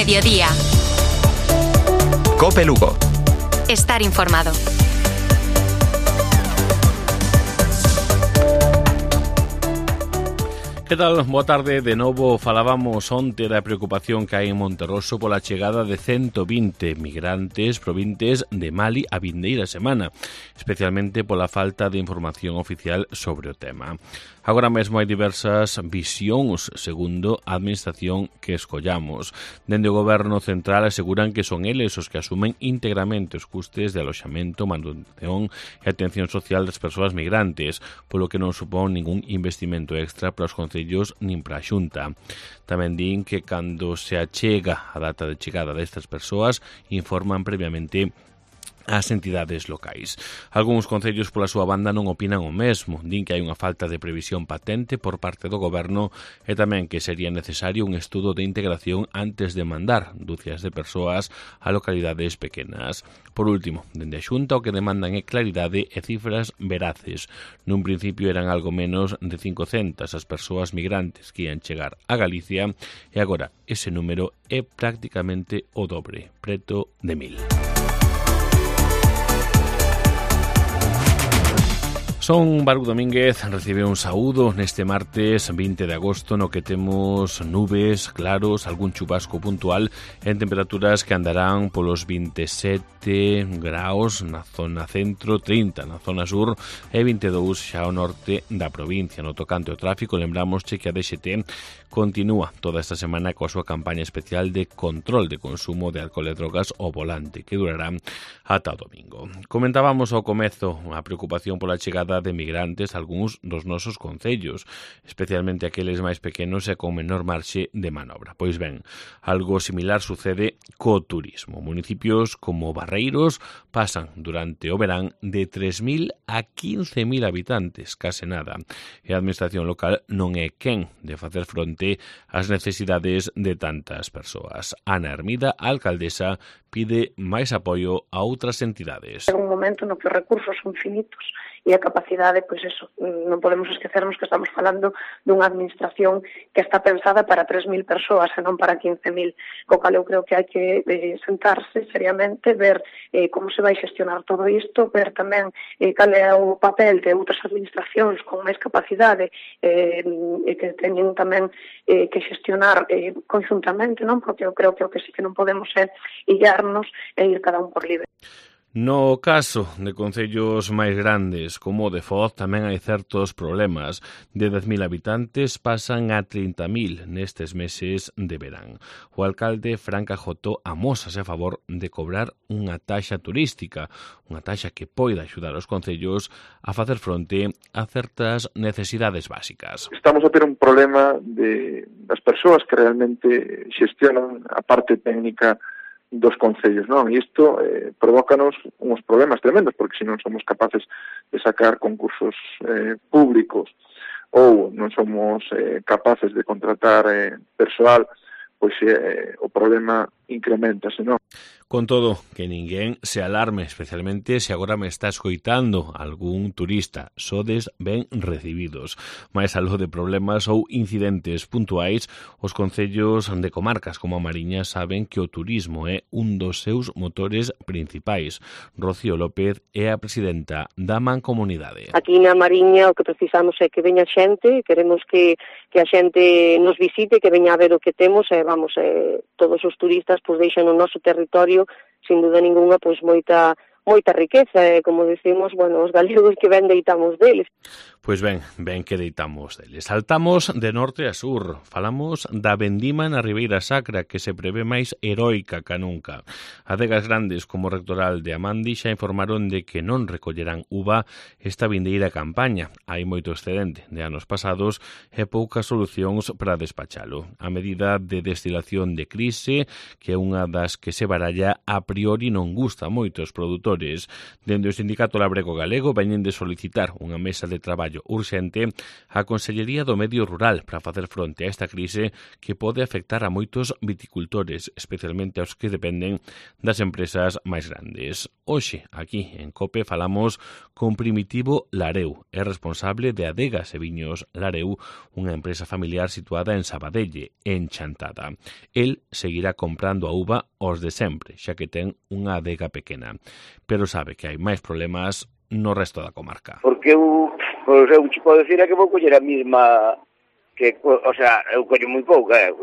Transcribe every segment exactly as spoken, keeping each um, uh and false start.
Mediodía. COPE Lugo. Estar informado. Que tal? Boa tarde. De novo falábamos onte da preocupación que hai en Monterroso pola chegada de ciento vinte migrantes provintes de Mali a vindeira semana, especialmente pola falta de información oficial sobre o tema. Agora mesmo hai diversas visións segundo a administración que escollamos. Dende o Goberno Central aseguran que son eles os que asumen íntegramente os custes de aloxamento, manutención e atención social das persoas migrantes, polo que non supón ningún investimento extra para os concellos nin para a Xunta. Tamén din que cando se achega a data de chegada destas persoas informan previamente as entidades locais. Algúns concellos pola súa banda non opinan o mesmo. Din que hai unha falta de previsión patente por parte do Goberno e tamén que sería necesario un estudo de integración antes de mandar dúcias de persoas a localidades pequenas. Por último, dende a Xunta o que demandan é claridade e cifras veraces. Nun principio eran algo menos de cincocentas as persoas migrantes que ian chegar a Galicia e agora ese número é prácticamente o dobre, preto de mil. Son Baruch Domínguez, recibe un saúdo neste martes vinte de agosto no que temos nubes, claros, algún chubasco puntual en temperaturas que andarán polos vinte e sete graus na zona centro, trinta na zona sur e vinte e dous xa ao norte da provincia. No tocante ao tráfico, lembramos que a D X T continúa toda esta semana coa súa campaña especial de control de consumo de alcohol e drogas ao volante, que durará ata o domingo. Comentábamos ao comezo a preocupación pola chegada de migrantes a algúns dos nosos concellos, especialmente aqueles máis pequenos e con menor marxe de manobra. Pois ben, algo similar sucede co turismo. Municipios como Barreiros pasan durante o verán de tres mil a quince mil habitantes, case nada, e a administración local non é quen de facer fronte ás necesidades de tantas persoas. Ana Hermida, a alcaldesa, pide máis apoio a outras entidades. É un momento no que os recursos son finitos e a capacidade, pois eso, non podemos esquecernos que estamos falando dunha administración que está pensada para tres mil persoas e non para quince mil, co cal eu creo que hai que eh, sentarse seriamente, ver eh, como se vai xestionar todo isto, ver tamén eh, cal é o papel de outras administracións con máis capacidade eh, e que teñen tamén eh, que xestionar eh, conjuntamente, non? Porque eu creo que o que sí que non podemos é illarnos e ir cada un por libre. No caso de concellos máis grandes como o de Foz tamén hai certos problemas. De dez mil habitantes pasan a trinta mil nestes meses de verán. O alcalde Fran Cajotó amósase a favor de cobrar unha taxa turística, unha taxa que poida axudar os concellos a facer fronte a certas necesidades básicas. Estamos a ter un problema de das persoas que realmente xestionan a parte técnica dos concellos, non? E isto eh, provócanos uns problemas tremendos, porque se non somos capaces de sacar concursos eh, públicos ou non somos eh, capaces de contratar eh, persoal, pois eh, o problema incrementase, non? Con todo, que ninguén se alarme, especialmente se agora me está escoitando algún turista. Sodes ben recibidos. Mais algo de problemas ou incidentes puntuais, os concellos de comarcas como a Mariña saben que o turismo é un dos seus motores principais. Rocío López é a presidenta da Mancomunidade. Aquí na Mariña o que precisamos é que veña xente, queremos que, que a xente nos visite, que veña a ver o que temos, e vamos, eh, todos os turistas pois deixan o noso territorio sin duda ninguna, pois moita moita riqueza, e como decimos, bueno, os galegos que ben deitamos deles. Pois ben, ben que deitamos deles. Saltamos de norte a sur. Falamos da vendima na Ribeira Sacra, que se prevé máis heroica ca nunca. Adegas grandes como o rectoral de Amandi xa informaron de que non recollerán uva esta vindeira campaña. Hai moito excedente de anos pasados e poucas solucións para despachalo. A medida de destilación de crise, que é unha das que se baralla, a priori non gusta moito aos produtores, viticultores. Dende o Sindicato Labrego Galego veñen de solicitar unha mesa de traballo urxente á Consellería do Medio Rural para facer fronte a esta crise que pode afectar a moitos viticultores, especialmente aos que dependen das empresas máis grandes. Hoxe, aquí en COPE, falamos con Primitivo Lareu, é responsable de Adegas e Viños Lareu, unha empresa familiar situada en Sabadelle, en Chantada. El seguirá comprando a uva os de sempre, xa que ten unha adega pequena, pero sabe que hai máis problemas no resto da comarca. Porque eu, pois eu te podo decir é que vou coller a mesma, que, o sea, eu collo moi pouca, eh,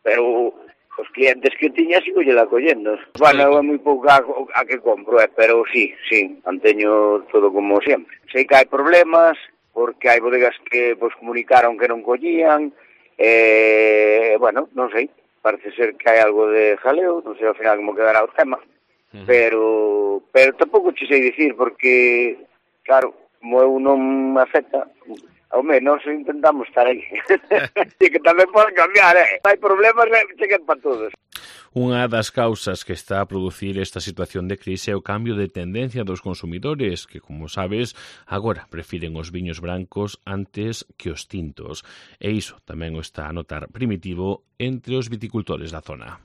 pero os clientes que tiña sigo lle collendo. Bueno, é moi pouca a que compro, eh, pero sí, sí, manteño todo como sempre. Sei que hai problemas, porque hai bodegas que pois, comunicaron que non collían, e, bueno, non sei, parece ser que hai algo de jaleo, non sei ao final como quedará o tema, uh-huh. pero pero tampouco che sei dicir, porque, claro, como eu non me afecta, ao menos intentamos estar aí. E que tamén pode cambiar, eh? Hai problemas, cheguen para todos. Unha das causas que está a producir esta situación de crise é o cambio de tendencia dos consumidores, que, como sabes, agora prefiren os viños brancos antes que os tintos. E iso tamén o está a notar Primitivo entre os viticultores da zona.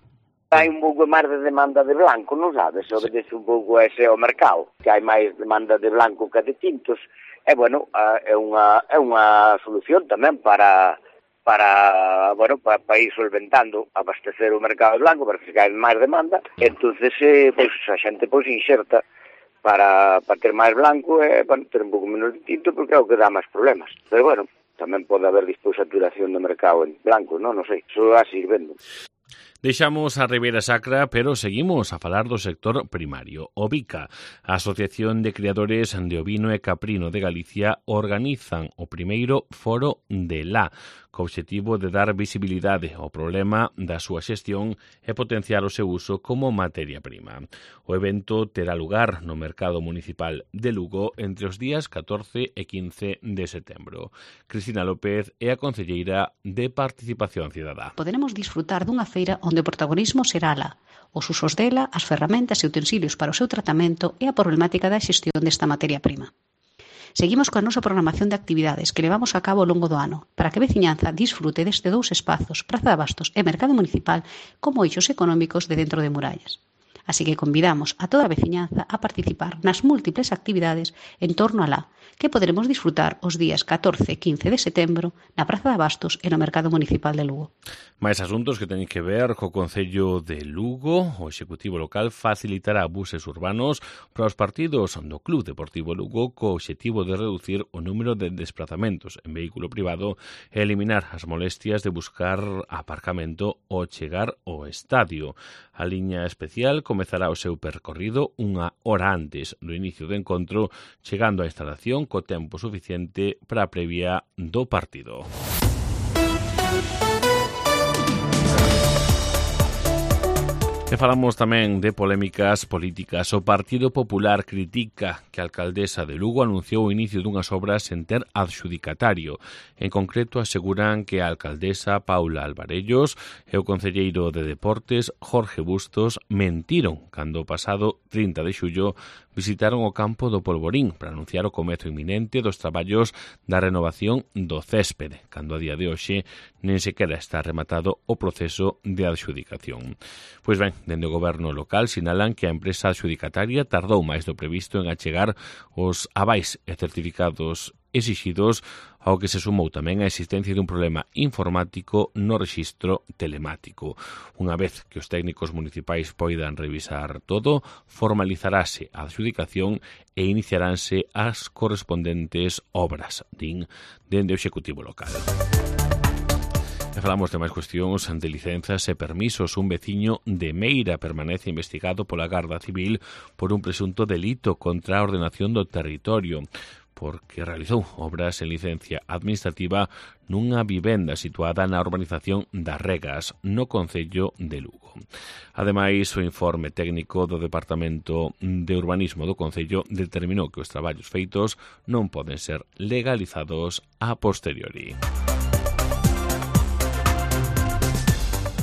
Hai un pouco máis de demanda de blanco, non sabes? Obedece un pouco ese ao mercado, que hai máis demanda de blanco que de tintos. E, bueno, é unha, é unha solución tamén para, para, bueno, para, para ir solventando, abastecer o mercado blanco, para que hai máis demanda. Entonces, eh, pois, a xente pois, inxerta para, para ter máis blanco e, bueno, ter un pouco menos de tinto, porque é o que dá máis problemas. Pero, bueno, tamén pode haber despois saturación do mercado en blanco, non? Non sei, iso vai seguir vendo. Deixamos a Ribeira Sacra, pero seguimos a falar do sector primario. O VICA, a Asociación de Criadores de Ovino e Caprino de Galicia, organizan o primeiro foro de lá, co obxectivo de dar visibilidade ao problema da súa xestión e potenciar o seu uso como materia prima. O evento terá lugar no Mercado Municipal de Lugo entre os días catorce e quince de setembro. Cristina López é a concelleira de Participación Cidadá. Poderemos disfrutar dunha feira onde o protagonismo será lá, os usos dela, as ferramentas e utensilios para o seu tratamento e a problemática da xestión desta materia prima. Seguimos coa nosa programación de actividades que levamos a cabo ao longo do ano para que a veciñanza disfrute deste dous espazos, Praza de Abastos e Mercado Municipal, como eixos económicos de dentro de murallas. Así que convidamos a toda a veciñanza a participar nas múltiples actividades en torno a lá, que poderemos disfrutar os días catorce e quince de setembro na Praza de Abastos e no Mercado Municipal de Lugo. Mais asuntos que teñen que ver co Concello de Lugo. O Executivo local facilitará buses urbanos para os partidos do Club Deportivo Lugo co obxectivo de reducir o número de desplazamentos en vehículo privado e eliminar as molestias de buscar aparcamento ou chegar ao estadio. A liña especial comezará o seu percorrido unha hora antes do inicio do encontro, chegando á instalación co tempo suficiente para a previa do partido. E falamos tamén de polémicas políticas. O Partido Popular critica que a alcaldesa de Lugo anunciou o inicio dunhas obras sen ter adxudicatario. En concreto, aseguran que a alcaldesa Paula Alvarellos e o concelleiro de Deportes Jorge Bustos mentiron cando o pasado trinta de xullo visitaron o campo do Polvorín para anunciar o comezo inminente dos traballos da renovación do céspede, cando a día de hoxe nen sequera está rematado o proceso de adxudicación. Pois ben, dende o goberno local sinalan que a empresa adxudicataria tardou máis do previsto en achegar os avais e certificados exixidos, ao que se sumou tamén a existencia dun problema informático no rexistro telemático. Unha vez que os técnicos municipais poidan revisar todo, formalizarase a adxudicación e iniciaránse as correspondentes obras, din dende o Executivo local. E falamos de máis cuestións de licenzas e permisos. Un veciño de Meira permanece investigado pola Garda Civil por un presunto delito contra a ordenación do territorio, porque realizou obras en licencia administrativa nunha vivenda situada na urbanización das Regas, no concello de Lugo. Ademais, o informe técnico do Departamento de Urbanismo do Concello determinou que os traballos feitos non poden ser legalizados a posteriori.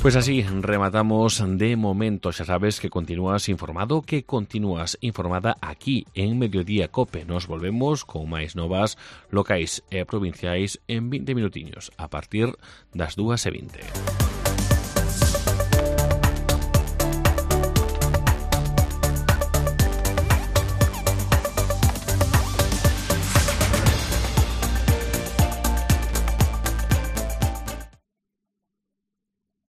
Pues así rematamos de momento. Xa sabes que continúas informado, que continúas informada aquí en Mediodía Cope. Nos volvemos con máis novas locais e provinciais en vinte minutiños a partir das dúas e vinte.